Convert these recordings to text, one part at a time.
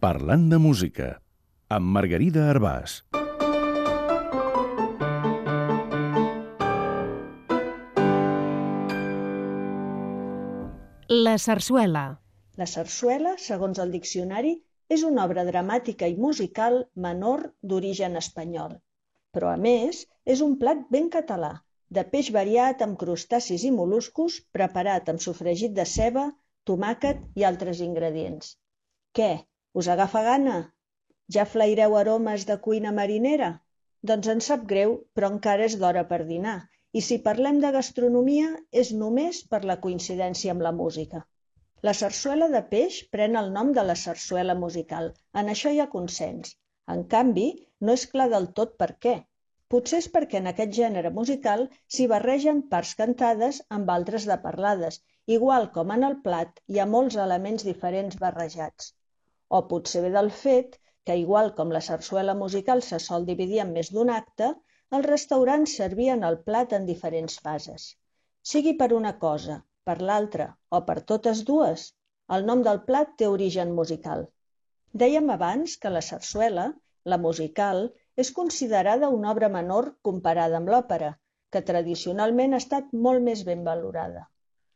Parlant de música, amb Margarida Arbàs. La sarsuela. La sarsuela, segons el diccionari, és una obra dramàtica i musical menor d'origen espanyol. Però, a més, és un plat ben català, de peix variat amb crustacis i mol·luscos, preparat amb sofregit de ceba, tomàquet i altres ingredients. Què? Us agafa gana? Ja flaireu aromes de cuina marinera? Doncs em sap greu, però encara és d'hora per dinar, i si parlem de gastronomia és només per la coincidència amb la música. La sarsuela de peix pren el nom de la sarsuela musical, en això hi ha consens. En canvi, no és clar del tot per què. Potser és perquè en aquest gènere musical s'hi barregen parts cantades amb altres de parlades, igual com en el plat hi ha molts elements diferents barrejats. O potser ve del fet que, igual com la sarsuela musical se sol dividir en més d'un acte, els restaurants servien el plat en diferents fases. Sigui per una cosa, per l'altra o per totes dues, el nom del plat té origen musical. Dèiem abans que la sarsuela, la musical, és considerada una obra menor comparada amb l'òpera, que tradicionalment ha estat molt més ben valorada.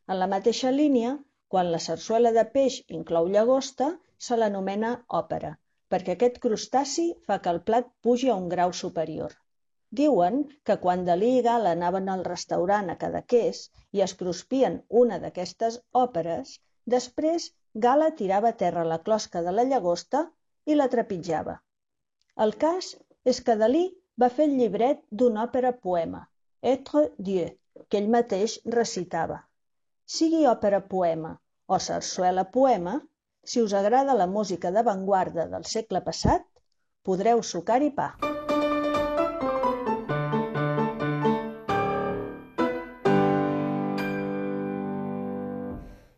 En la mateixa línia, quan la sarsuela de peix inclou llagosta, se l'anomena òpera, perquè aquest crustaci fa que el plat pugi a un grau superior. Diuen que quan Dalí i Gala anaven al restaurant a Cadaqués i es cruspien una d'aquestes òperes, després Gala tirava a terra la closca de la llagosta i la trepitjava. El cas és que Dalí va fer el llibret d'una òpera-poema, Être Dieu, que ell mateix recitava. Sigui òpera-poema o sarsuela-poema, si us agrada la música d'avantguarda del segle passat, podreu sucar-hi pa.